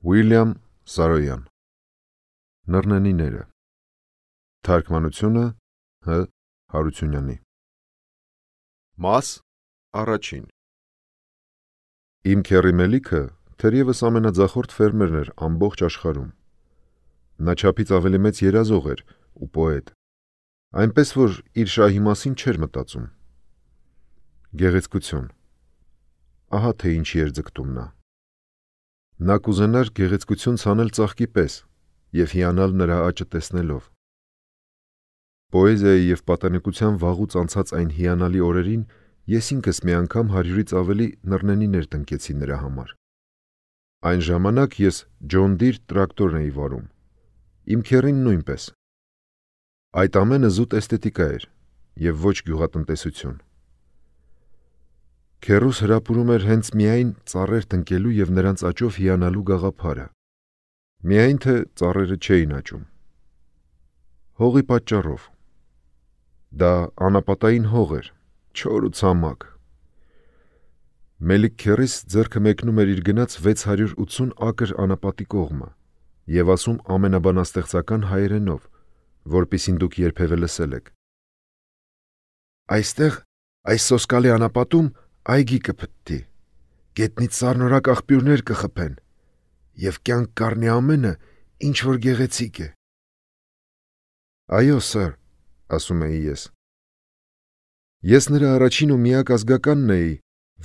Ուիլյամ Սարոյան Նռնենիները Թարգմանությունը Հ. Հարությունյանի Մաս առաջին Իմ քեռի Մելիքը թերևս ամենաձախորդ ֆերմերն էր ամբողջ աշխարհում։ Նա չափից ավելի մեծ երազող էր ու պոետ, այնպես որ իր շահի մասին չէր մտածում։ Գեղեցկություն։ Ահա թե ինչի էր ձգտում նա։ Նա կուզենար գեղեցկություն ցանել ծաղկի պես և հիանալ նրա աճը տեսնելով։ Պոեզիայի և պատանեկության վաղուց անցած այն հիանալի օրերին ես ինքս մի անգամ 100-ից ավելի նռնենիներ տնկեցի նրա համար։ Այն ժամանակ ես Ջոն Դիր տրակտորն էի վարում, իմ քեռին նույնպես։ Այդ ամենը զուտ էսթետիկա էր և ոչ գյուղատնտեսություն։ Քեռուս հրապուրում էր հենց միայն ծառեր տնկելու և նրանց աճով հիանալու գաղափարը, միայն թե ծառերը չէին աճում։ Հողի պատճառով։ Դա անապատային հող էր, չոր ու ցամաք։ Մելիք քեռիս ձեռքը մեկնում էր իր գնած 680 ակր անապատի կողմը և ասում ամենաբանաստեղծական հայերենով, որպեսզի դուք երբևէ լսել եք. «Այստեղ, այս սոսկալի անապատում այգի կփտտի, գետնից սառնորակ աղբյուրներ կխփեն և կյանք կառնի ամենը, ինչ որ գեղեցիկ է»։ «Այո, սըր», ասում էի ես։ Ես նրա առաջին ու միակ ազգականն էի,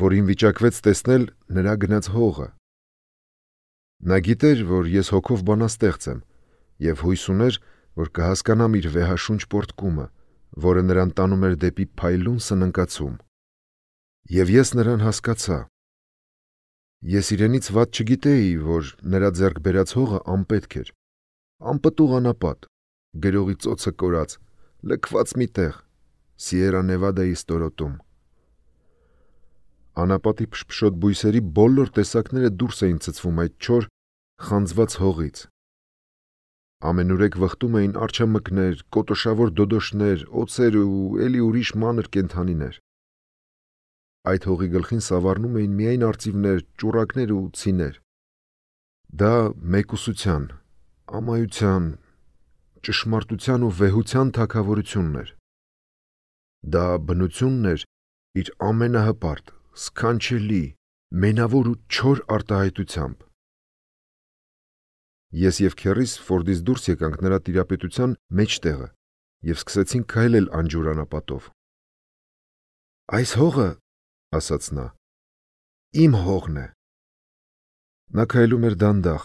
որին վիճակվեց տեսնել նրա գնած հողը։ Նա գիտեր, որ ես հոգով բանաստեղծ եմ և հույս ուներ, որ կհասկանամ իր վեհաշունչ պոռթկումը, որը նրան տանում էր դեպի փայլուն սննկացում։ Եվ ես նրան հասկացա։ Ես իրենից վատ չգիտեի, որ նրա ձեռք բերած հողը անպետք էր, անպտուղ անապատ, գրողի ծոցը կորած, լքված մի տեղ, Սիերա Նևադայի ստորոտում։ Անապատի փշփշոտ բույսերի բոլոր տեսակները դուրս էին ցցվում այդ չոր, խանձված հողից։ Ամենուրեք վխտում էին արջամկներ, կոտոշավոր դոդոշներ, օձեր ու էլի ուրիշ մանր կենդանիներ։ Այդ հողի գլխին սավառնում էին միայն արծիվներ, ճուռակներ ու ցիներ։ Դա մեկուսության, ամայության, ճշմարտության ու վեհության թագավորությունն էր։ Դա բնությունն էր իր ամենահպարտ, սքանչելի, մենավոր ու չոր արտահայտությամբ։ Ես և քեռիս Ֆորդից դուրս եկանք նրա տիրապետության մեջտեղը և սկսեցինք քայլել անջուր անապատով։ «Այս հողը, — ասաց նա, — իմ հողն է»։ Նա քայլում էր դանդաղ,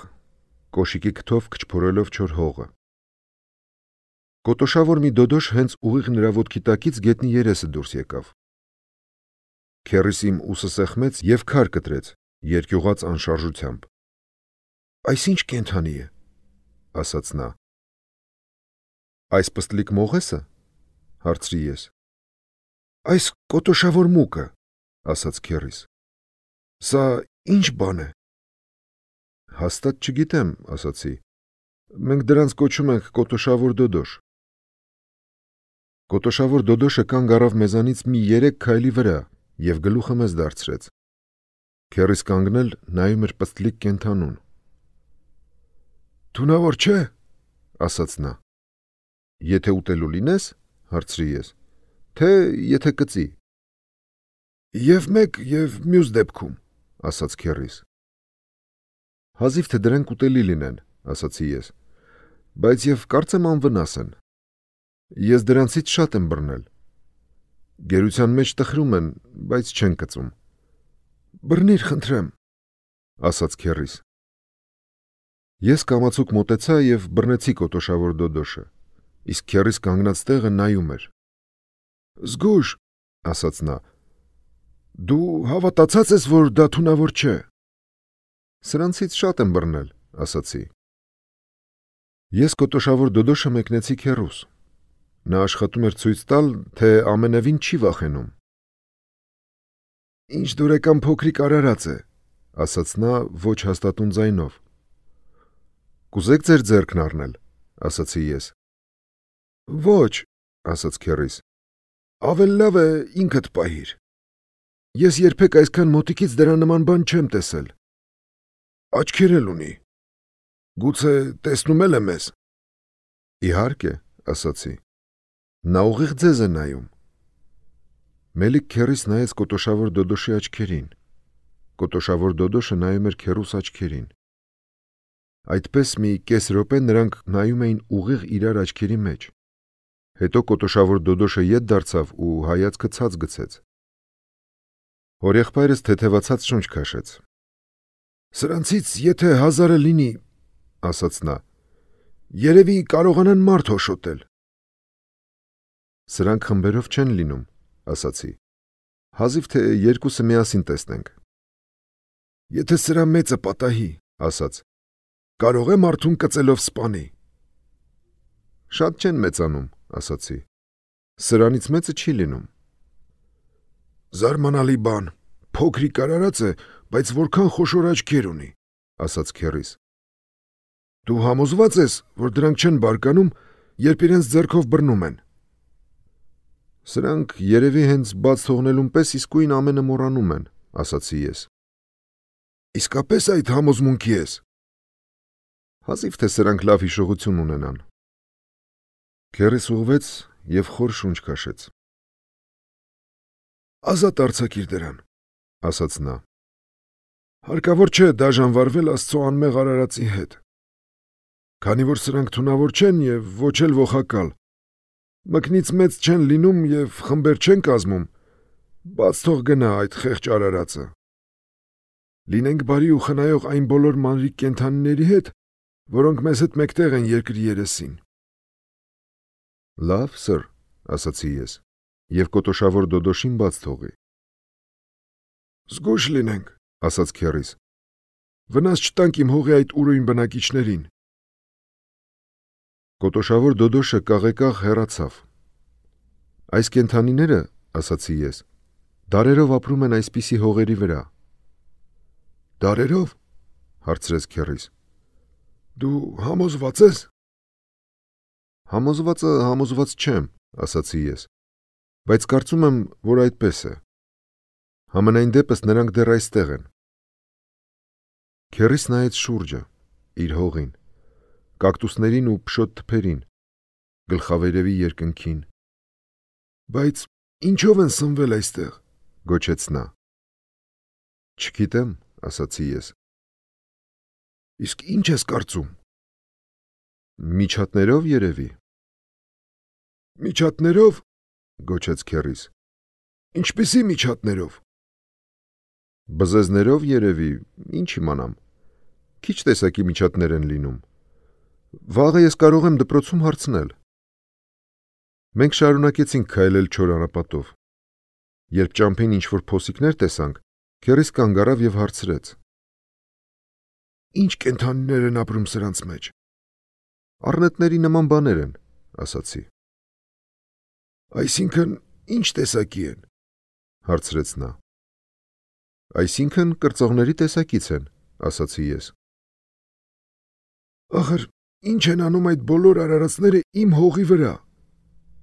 կոշիկի քթով քչփորելով չոր հողը։ Կոտոշավոր մի դոդոշ հենց ուղիղ նրա ոտքի տակից գետնի երեսը դուրս եկավ։ Քեռիս իմ ուսը սեղմեց և քար կտրեց երկյուղած անշարժությամբ։ «Այս ի՞նչ կենդանի է», — ասաց նա։ «Այս պստլիկ մողե՞սը», — հարցրի ես։ «Այս կոտոշավոր մուկը», — ասաց քեռիս։ «Սա ի՞նչ բան է»։ «Հաստատ չգիտեմ», — ասացի։ «Մենք դրանց կոչում ենք կոտոշավոր դոդոշ»։ Կոտոշավոր դոդոշը կանգ առավ մեզանից մի 3 քայլի վրա և գլուխը մեզ դարձրեց։ Քեռիս կանգնել նայում էր պստլիկ կենդանուն։ «Թունավոր չէ՞, — ասաց նա։ «Եթե ուտելու լինես, — հարցրի ես, — թե եթե կծի»։ «Եվ մեկ, և մյուս դեպքում», — ասաց քեռիս։ «Հազիվ թե դրանք ուտելի լինեն», — ասացի ես, «բայց և կարծեմ անվնաս են։ Ես դրանցից շատ եմ բռնել։ Գերության մեջ տխրում են, բայց չեն կծում»։ «Բռնիր, խնդրեմ», — ասաց քեռիս։ Ես կամացուկ մոտեցա և բռնեցի կոտոշավոր դոդոշը, իսկ քեռիս կանգնած տեղը նայում էր։ «Զգույշ», — ասաց նա, «դու հավատացած ես, որ դա թունավոր չէ»։ «Սրանցից շատ եմ բռնել», — ասացի։ Ես կոտոշավոր դոդոշը մեկնեցի քեռուս։ Նա աշխատում էր ցույց տալ, թե ամենևին չի վախենում։ «Ինչ դուրեկան փոքրիկ արարած է», — ասաց նա ոչ հաստատուն ձայնով։ «Կուզե՞ք ձեր ձեռքն առնել», — ասացի ես։ «Ոչ», — ասաց քեռիս, «ավելի լավ է ինքդ պահիր։ Ես երբեք այսքան մոտիկից դրա նման բան չեմ տեսել։ Աչքեր էլ ունի»։ Գուցե տեսնում է մեզ։ Իհարկե, ասացի։ Նա ուղիղ ձեզ է նայում։ Մելիք քեռիս նայեց կոտոշավոր Դոդոշի աչքերին։ Կոտոշավոր Դոդոշը նայում էր քեռուս աչքերին։ Այդպես մի կես րոպե նրանք նայում էին ուղիղ իրար աչքերի մեջ։ Հետո կոտոշավոր Դոդոշը ետ դարձավ ու հայացքը ցած գցեց։ Հորեղբայրս թեթևացած շունչ քաշեց։ Սրանցից եթե 1000-ը լինի, ասաց նա, երևի կարողանան մարդ հոշոտել։ Սրանք խմբերով չեն լինում, ասացի։ Հազիվ թե երկուսը միասին տեսնենք։ Եթե սրա մեծը պատահի, ասաց, կարող է մարդուն կծելով սպանի։ Շատ չեն մեծանում, ասացի։ Սրանից մեծը չի լինում։ Զարմանալի բան, փոքրիկ արարած է, բայց որքան խոշոր աչքեր ունի, ասաց քեռիս։ Դու համոզված ես, որ դրանք չեն բարկանում, երբ իրենց ձեռքով բռնում են։ Սրանք երևի հենց բաց թողնելուն պես իսկույն ամենը մոռանում են, ասացի ես։ Իսկապես այդ համոզմունքի ես։ Հազիվ թե սրանք լավ հիշողություն ունենան։ Քեռիս ուղղվեց և խոր շունչ քաշեց։ Ազատ արձակիր դրան, ասաց նա։ Հարկավոր չէ դաժան Աստծո անմեղ արարածի հետ։ Քանի որ սրանք թունավոր չեն և ոչ էլ ողակալ, մկնից մեծ չեն լինում և խմբեր չեն կազմում, բաց թող գնա այդ խեղճ արարածը։ Լինենք բարի ու խնայող այն բոլոր մանրիկ կենդանիների հետ, որոնք մեզ հետ մեկտեղ են երկրի երեսին։ Լավ, սըր, ասացի ես, և կոտոշավոր Դոդոշին բաց թողի։ Զգույշ լինենք, ասաց քեռիս։ Վնաս չտանք իմ հողի այդ ուրույն բնակիչներին։ Կոտոշավոր Դոդոշը կաղեկաղ հեռացավ։ Այս կենդանիները, ասացի ես, դարերով ապրում են այսպիսի հողերի վրա։ Դարերով, հարցրեց քեռիս։ Դու համոզված ես։ Համոզվածը համոզված չեմ, ասացի ես, բայց կարծում եմ, որ այդպես է։ Համենայն դեպս նրանք դեռ այստեղ են։ Քեռիս նայեց շուրջը, իր հողին, կակտուսներին ու փշոտ թփերին, գլխավերևի երկնքին։ Բայց ինչով են սնվել այստեղ, գոչեց նա։ Չգիտեմ, ասացի ես։ Իսկ ինչ ես կարծում։ Միջատներով երևի։ Միջատներով, գոչեց քեռիս։ Ինչպիսի միջատներով։ Բզեզներով երևի, ինչ իմանամ։ Քիչ տեսակի միջատներ են լինում։ Վաղը ես կարող եմ դպրոցում հարցնել։ Մենք շարունակեցինք քայլել չոր անապատով։ Երբ ճամփին ինչ-որ փոսիկներ տեսանք, քեռիս կանգ առավ և հարցրեց. Ինչ կենդանիներ են ապրում սրանց մեջ։ Առնետների նման բաներ են, ասացի։ Այսինքն ինչ տեսակի են, հարցրեց նա։ Այսինքն կրծողների տեսակից են, ասացի ես։ Ախր ինչ են անում այդ բոլոր արարածները իմ հողի վրա,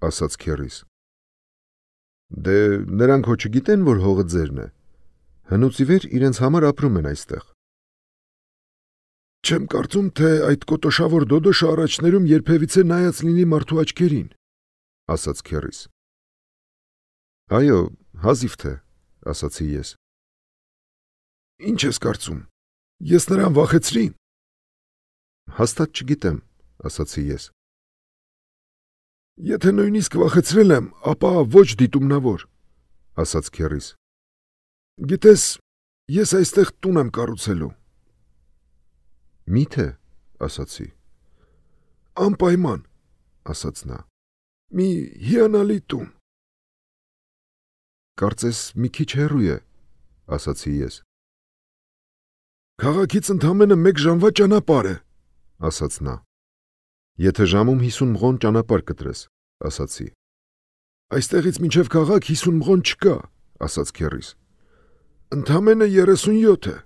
ասաց քեռիս։ Դե նրանք հո չգիտեն, որ հողը ձերն է։ Հնուց ի վեր իրենց համար ապրում են այստեղ։ Չեմ կարծում, թե այդ կոտոշավոր Դոդոշը առաջներում երբևիցե նայած լինի մարդու աչքերին, ասաց քեռիս։ Այո, հազիվ թե, ասացի ես։ Ինչ ես կարծում, ես նրան վախեցրի։ Հաստատ չգիտեմ, ասացի ես։ Եթե նույնիսկ վախեցրել եմ, ապա ոչ դիտումնավոր, ասաց քեռիս։ Գիտես, ես այստեղ տուն եմ կառուցելու։ Միթե, ասացի։ Անպայման, ասաց նա։ Մի հիանալի տուն։ Կարծես մի քիչ հեռու է, ասացի ես։ Քաղաքից ընդամենը 1 ժամվա ճանապարհ է, ասաց նա։ Եթե ժամում 50 մղոն ճանապարհ կտրես, ասացի։ Այստեղից մինչև քաղաք 50 մղոն չկա, ասաց քեռիս։ Ընդամենը 37 է։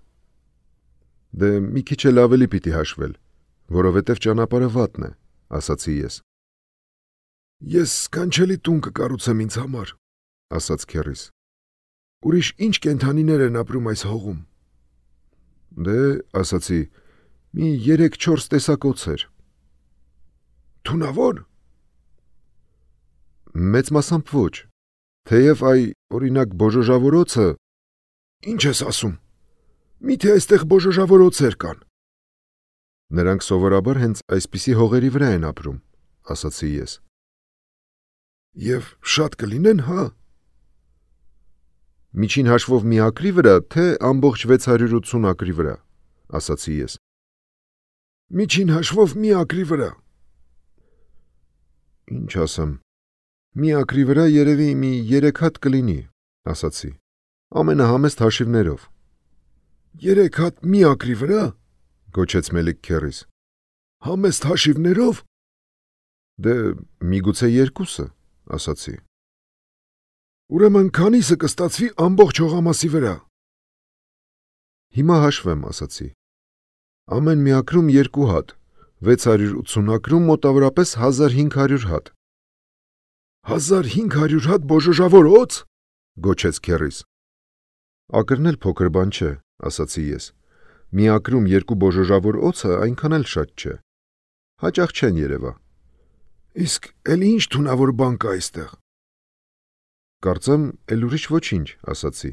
Դե մի քիչ էլ ավելի պիտի հաշվել, որովհետև ճանապարհը վատն է, ասացի ես։ Ես սքանչելի տուն կկառուցեմ ինձ համար, ասաց քեռիս։ Ուրիշ ինչ կենդանիներ են ապրում այս հողում։ Դե, ասացի, Մի 3-4 տեսակ օձեր։ Թունավոր։ Մեծ մասամբ ոչ։ Թեև օրինակ բոժոժավոր օձը։ Ինչ ես ասում։ Միթե այստեղ բոժոժավոր օձեր կան։ Նրանք սովորաբար հենց այսպիսի հողերի վրա են ապրում, ասացի ես։ Եվ շատ կլինեն, հա։ Միջին հաշվով մի ակրի վրա, թե ամբողջ 680 ակրի վրա, ասացի ես։ Միջին հաշվով մի ակրի վրա։ Ինչ ասեմ, մի ակրի վրա երևի մի 3 հատ կլինի, ասացի, ամենահամեստ հաշիվներով։ 3 հատ մի ակրի վրա, գոչեց Մելիք քեռիս։ Համեստ հաշիվներով։ Դե միգուցե 2-ը, ասացի։ Ուրեմն քանիսը կստացվի ամբողջ հողամասի վրա։ Հիմա հաշվեմ, ասացի։ Ամեն մի ակրում 2 հատ, 680 ակրում մոտավորապես 1500 հատ։ 1500 հատ բոժոժավոր օձ, գոչեց քեռիս։ Ակրն էլ փոքր բան չէ, ասացի ես։ Մի ակրում 2 բոժոժավոր օձը այնքան էլ շատ չէ։ Հաճախ չեն երևա։ Իսկ էլ ինչ թունավոր բան կա այստեղ։ Կարծեմ, էլ ուրիշ ոչինչ, ասացի։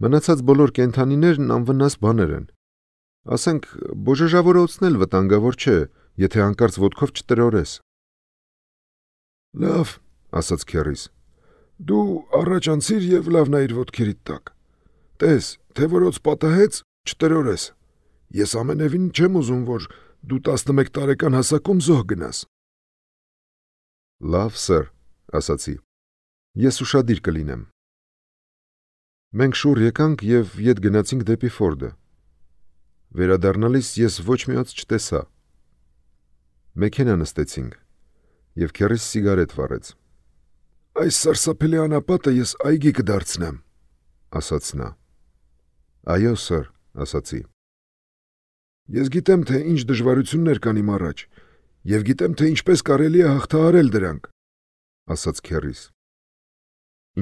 Մնացած բոլոր կենդանիներն անվնաս բաներ են։ Ասենք, բոժոժավոր օձն էլ վտանգավոր չէ, եթե հանկարծ ոտքով չտրորես։ Լավ, ասաց քեռիս։ Դու առաջ անցիր եւ լավ նայիր ոտքերիդ տակ։ Տես, թե որ օձ պատահեց, չտրորես։ Ես ամենևին չեմ ուզում, որ դու 11 տարեկան հասակում զոհ գնաս։ Լավ, սեր, ասացի։ Ես ուշադիր կլինեմ։ Մենք շուռ եկանք եւ ետ գնացինք դեպի Ֆորդը։ Վերադառնալիս ես ոչ մի օձ չտեսա։ Մեքենա նստեցինք եւ քեռիս սիգարետ վառեց։ Այս սարսափելի անապատը ես այգի կդարձնեմ, ասաց նա։ Այո, սեր, ասացի։ Ես գիտեմ, թե ինչ դժվարություններ կան իմ առաջ, եւ գիտեմ, թե ինչպես կարելի է հաղթահարել դրանք, ասաց քեռիս։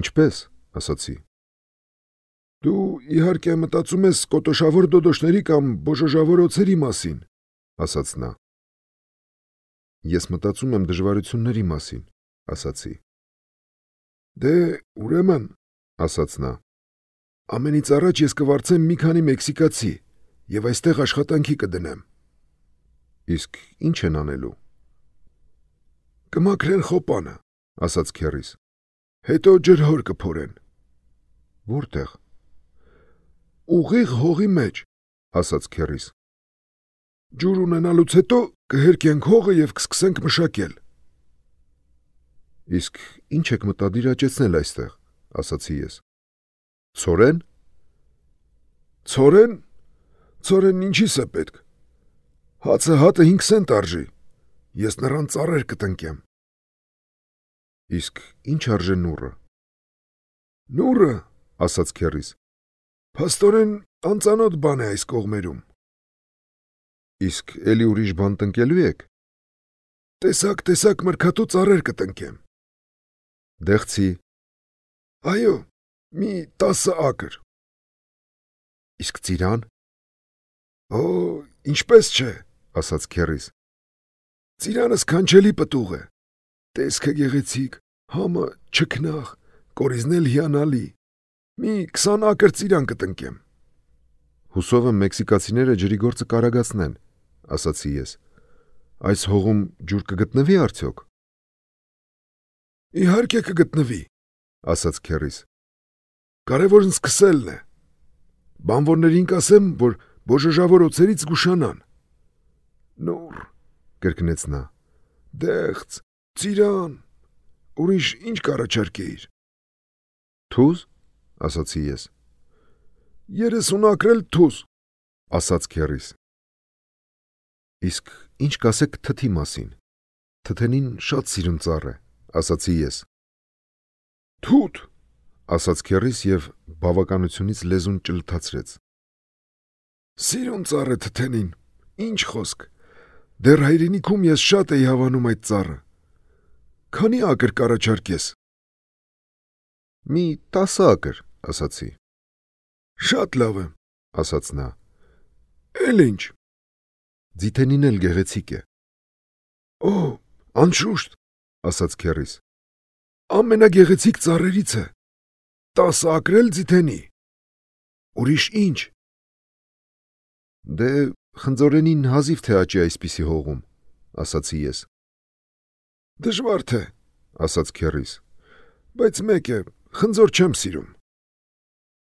Ինչպես, ասացի։ Դու իհարկե մտածում ես կոտոշավոր դոդոշների կամ բոժոժավոր օձերի մասին, ասաց նա։ Ես մտածում եմ դժվարությունների մասին, ասացի։ Դե, ուրեմն, ասաց նա, ամենից առաջ ես կվարձեմ մի քանի մեքսիկացի եւ այստեղ աշխատանքի կդնեմ։ Իսկ ինչ են անելու։ Կմաքրեն խոպանը, ասաց քեռիս։ Հետո ջրհոր կփորեն։ Որտեղ։ Ուղիղ հողի մեջ, ասաց քեռիս։ Ջուր ունենալուց հետո կհերկենք հողը եւ կսկսենք մշակել։ Իսկ ինչ եք մտադիր աճեցնել այստեղ, ասացի ես։ Ցորեն։ Ցորեն։ Ցորեն ինչի՞ս է պետք։ Հացը հատը 5 սենտ արժի։ Ես նրան ծառեր կտնկեմ։ Իսկ ինչ արժե նուռը։ Նուռը, ասաց քեռիս։ Փաստորեն անծանոթ բան է այս կողմերում։ Իսկ էլի ուրիշ բան տնկելու եք։ Տեսակ մրգատու ծառեր կտնկեմ։ Դեղցի։ Այո, մի 10 ակր։ Իսկ ծիրան։ Օ, ինչպես չէ, ասաց քեռիս։ Ծիրանը սքանչելի պտուղ է։ Տեսքը գեղեցիկ, համը չքնաղ, կորիզն էլ հիանալի։ Մի 20 ակր ծիրան կտնկեմ։ Հուսով եմ մեքսիկացիները ջրի գործը կարագացնեն, ասացի ես։ Այս հողում ջուր կգտնվի արդյոք։ Իհարկե կգտնվի, ասաց քեռիս։ Կարևորն սկսելն է։ Բանվորներին կասեմ, որ բոժոժավոր օձերից զգուշանան։ Նուռ, կրկնեց նա։ Դեղց, ծիրան, ուրիշ ինչ կառաջարկեիր։ Թուզ, ասացի ես։ 30 ակրել թուզ, ասաց քեռիս։ Իսկ ինչ կասեք թթի մասին։ Թթենին շատ սիրուն ծառ է, ասացի ես։ Թութ, ասաց քեռիս եւ բավականությունից լեզուն ճլթացրեց։ Սիրուն ծառ է թթենին, ինչ խոսք։ Դեռ հայրենիքում ես շատ էի հավանում այդ ծառը։ Քանի ակր կառաջարկես։ Մի 10 ակր, ասացի։ Շատ լավ է, ասաց նա։ Էլ ինչ։ Ձիթենին էլ գեղեցիկ է։ Օ, անշուշտ, ասաց քեռիս։ Ամենագեղեցիկ ծառերից է։ 10 ակրել ձիթենի։ Ուրիշ ինչ։ Դե խնձորենին հազիվ թե աճի այսպիսի հողում, ասացի ես։ Դժվար թե, ասաց քեռիս, բայց մեկ է, խնձոր չեմ սիրում։